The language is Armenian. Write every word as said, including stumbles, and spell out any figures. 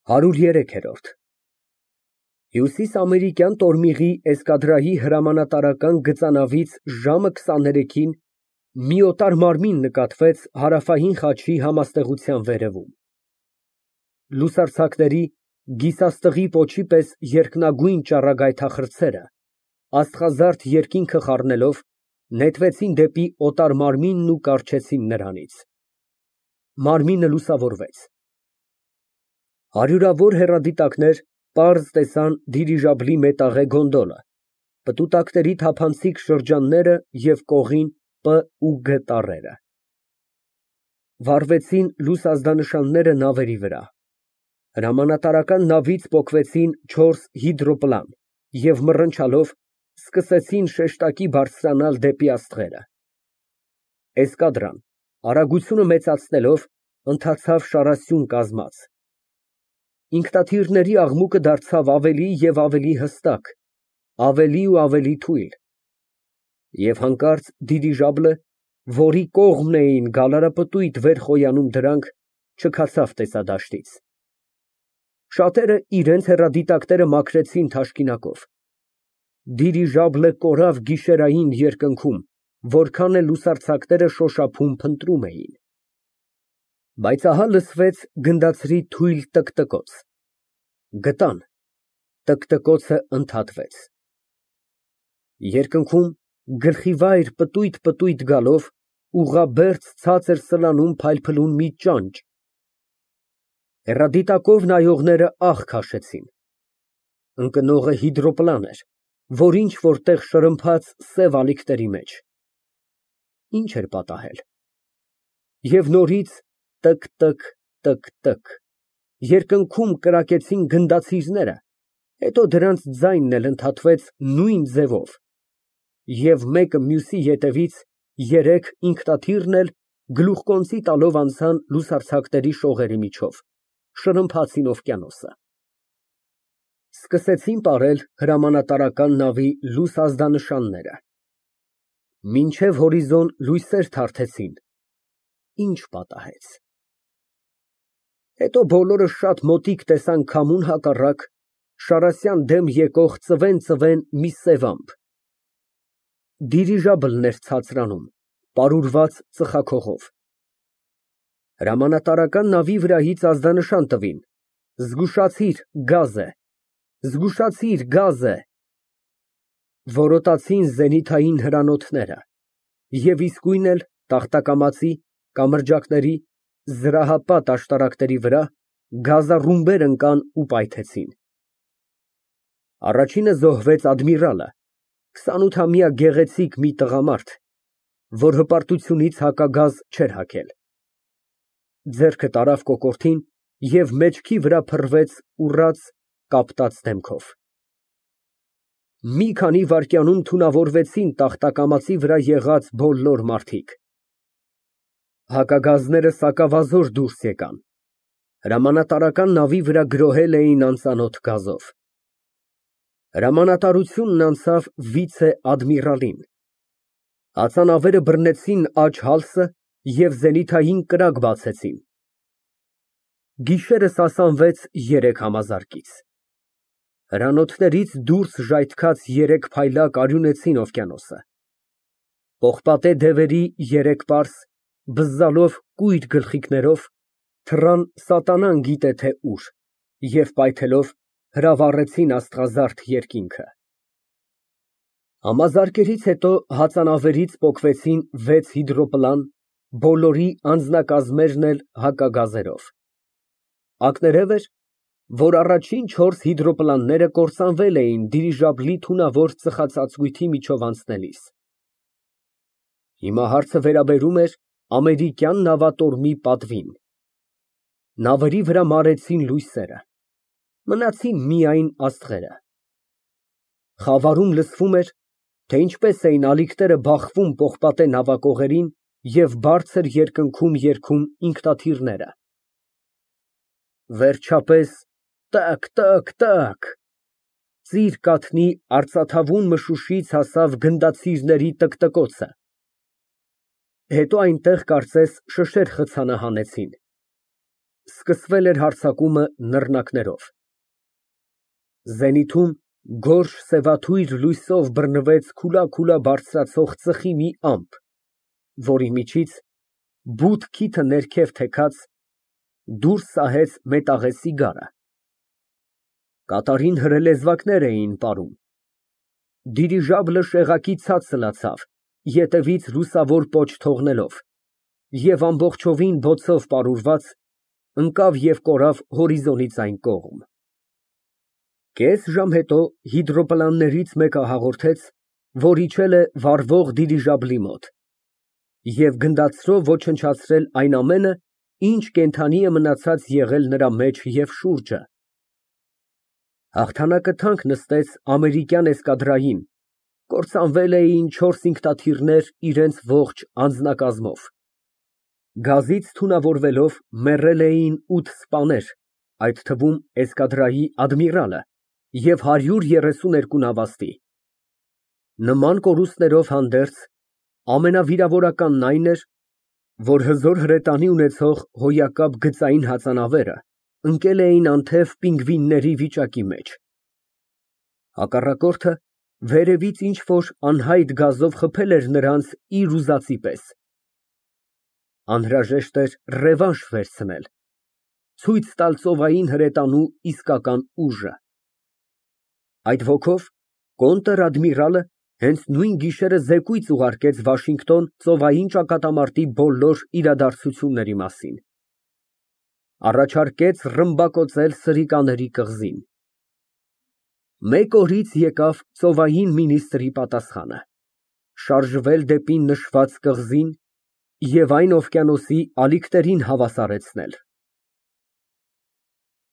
ՀԱՐՈՒՐԵՐԵՔԵՐՈՐԴ Հյուսիսամերիկյան տորմիղի էսկադրայի հրամանատարական գծանավից ժամը քսաներեքին մի օտար մարմին նկատվեց Հարավային խաչի համաստեղության վերևում։ Լուսարձակների, գիսաստղի պոչի պես երկնագույն ճառագայթախրձերը, աստղազարդ երկինքը խառնելով, նետվեցին դեպի օտար մարմինն ու կառչեցին նրանից։ Մարմինը լուսավորվեց։ Հարյուրավոր հեռադիտակներ պարզ տեսան դիրիժաբլի մետաղե գոնդոլը, պտուտակների թափանցիկ շրջանները և կողին Պ ու Գ տառերը։ Վառվեցին լույս ազդանշանները նավերի վրա։ Հրամանատարական նավից պոկվեցին չորս հիդրոպլան և մռնչալով սկսեցին շեշտակի բարձրանալ դեպի աստղերը։ Էսկադրան, արագությունը մեծացնելով, ընթացավ շարասյուն կազմած։ Ինքնաթիռների աղմուկը դարձավ ավելի և ավելի հստակ, ավելի ու ավելի թույլ։ Եվ հանկարծ դիրիժաբլը, որի կողմն էին գալարապտույտ վեր խոյանում դրանք, չքացավ տեսադաշտից։ Շատերը իրենց հեռադիտակները մաքրեցին թաշկինակով։ Դիրիժաբլը կորավ գիշերային երկնքում, որքան էլ լուսարձակները շոշափում փնտրում էին։ Բայց ահա լսվեց գնդացրի թույլ տկտկոց։ Գտան, տկտկոցը ընդհատվեց։ Երկնքում գլխիվայր պտույտ֊պտույտ գալով, ուղղաբերձ ցածր սլանում փայլփլուն մի ճանճ։ Հեռադիտակով նայողները ահ քաշեցին։ Ընկնողը հիդրոպլան էր, որ ինչ֊որ տեղ շրմփաց սև ալիքների մեջ։ Ի՞նչ էր պատահել։ Եվ նորից տկ֊տկ, տկ֊տկ, երկնքում կրակեցին գնդացիրները, հետո դրանց ձայնն էլ ընդհատվեց նույն ձևով, և մեկը մյուսի ետևից երեք ինքնաթիռն էլ գլուխկոնծի տալով անցան լուսարձակների շողերի միջով, շրմփացին օվկիանոսը։ Սկսեցին պարել հրամանատարական նավի լույս ազդանշանները։ Մինչև հորիզոն լույսեր թարթեցին։ Ի՞նչ պատահեց։ Հետո բոլորը շատ մոտիկ տեսան քամուն հակառակ, շարասյան դեմ եկող ծվեն֊ծվեն մի սև ամպ։ Դիրիժաբլն էր ցածրանում, պարուրված ծխախողով։ Հրամանատարական նավի վրայից ազդանշան տվին. «Զգուշացիր, գազ է, զգուշացիր, գազ է»։ Որոտացին զենիթային հրանոթները, և իսկույն էլ տախտակամածի, կամրջակների, զրահապատ աշտարակների վրա գազառումբեր ընկան ու պայթեցին։ Առաջինը զոհվեց ադմիրալը, քսանութամյա գեղեցիկ մի տղամարդ, որ հպարտությունից հակագազ չէր հագել։ Ձեռքը տարավ կոկորդին և մեջքի վրա փռվեց ուռած, կապտած դեմքով։ Մի քանի վայրկյանում թունավորվեցին տախտակամածի վրա եղած բոլոր մարդիկ։ Հակագազները սակավազոր դուրս եկան։ Հրամանատարական նավի վրա գրոհել էին անծանոթ գազով։ Հրամանատարությունն անցավ վիցե֊ադմիրալին։ Հացանավերը բռնեցին աջ հալսը և զենիթային կրակ բացեցին։ Գիշերը սասանվեց երեք համազարկից։ Հրանոթներից դուրս ժայթքած երեք փայլակ արյունեցին օվկիանոսը։ Պողպատե դևերի երեք պարս, բզզալով կույր գլխիկներով, թռան սատանան գիտե թե ուր և պայթելով հրավառեցին աստղազարդ երկինքը։ Համազարկերից հետո հացանավերից պոկվեցին վեց հիդրոպլան, բոլորի անձնակազմերն էլ հակագազերով։ Ակներևը էր, որ առաջին չորս հիդրոպլանները կործանվել էին դիրիժաբլի թունավոր ծխածածկույթի միջով անցնելիս։ Հիմա հարցը վերաբերում էր ամերիկյան նավատորմի պատվին։ Նավերի վրա մարեցին լույսերը, մնացին միայն աստղերը։ Խավարում լսվում էր, թե ինչպես էին ալիքները բախվում պողպատե նավակողերին և բարձր երկնքում երգում ինքնաթիռները։ Վերջապես տակ֊տակ֊տակ, ծիր կաթնի արծաթավուն մշուշից հասավ գնդացիրների տկտկոցը։ Հետո այնտեղ կարծես շշեր խցանահանեցին։ Սկսվել էր հարձակումը նռնակներով։ Զենիթում գորշ սևաթույր լույսով բռնվեց քուլաքուլա բարձրացող ծխի մի ամպ, որի միջից, բութ քիթը ներքև թեքած, դուրս սահեց մետաղե սիգարը։ Կատարին հրելեզվակներ էին պարում։ Դիրիժաբլը շեղակի ցած սլացավ, ետևից լուսավոր պոչ թողնելով, և ամբողջովին բոցով պարուրված, ընկավ և կորավ հորիզոնից այն կողմ։ Կես ժամ հետո հիդրոպլաններից մեկը հաղորդեց, որ իջել է վառվող դիրիժաբլի մոտ և գնդացրով ոչնչացրել այն ամենը, ինչ կենդանի է մնացած եղել նրա մեջ և շուրջը։ Հաղթանակը թանկ նստեց ամերիկյան էսկադրային, կործանվել էին չորս ինքնաթիռներ իրենց ողջ անձնակազմով։ Գազից թունավորվելով մեռել էին ութ սպաներ, այդ թվում էսկադրայի ադմիրալը և հարյուր երեսուն երկու նավաստի։ Նման կորուստներով հանդերձ, ամենավիրավորականն այն էր, որ հզոր հրետանի ունեցող հոյակապ գծային հածանավերը ընկել էին անթև պինգվինների վիճակի մեջ։ Հակառակորդը վերևից ինչ֊որ անհայտ գազով խփել էր նրանց իր ուզածի պես։ Անհրաժեշտ էր ռևանշ վերցնել, ցույց տալ ծովային հրետանու իսկական ուժը։ Այդ ոգով կոնտր֊ադմիրալը հենց նույն գիշերը զեկույց ուղարկեց Վաշինգտոն ծովային ճակատամարտի բոլոր իրադարձությունների մասին։ Առաջարկեց ռմբակոծել սրիկաների կղզին։ Մեկ օրից եկավ ծովային մինիստրի պատասխանը՝ շարժվել դեպի նշված կղզին և այն օվկիանոսի ալիքներին հավասարեցնել։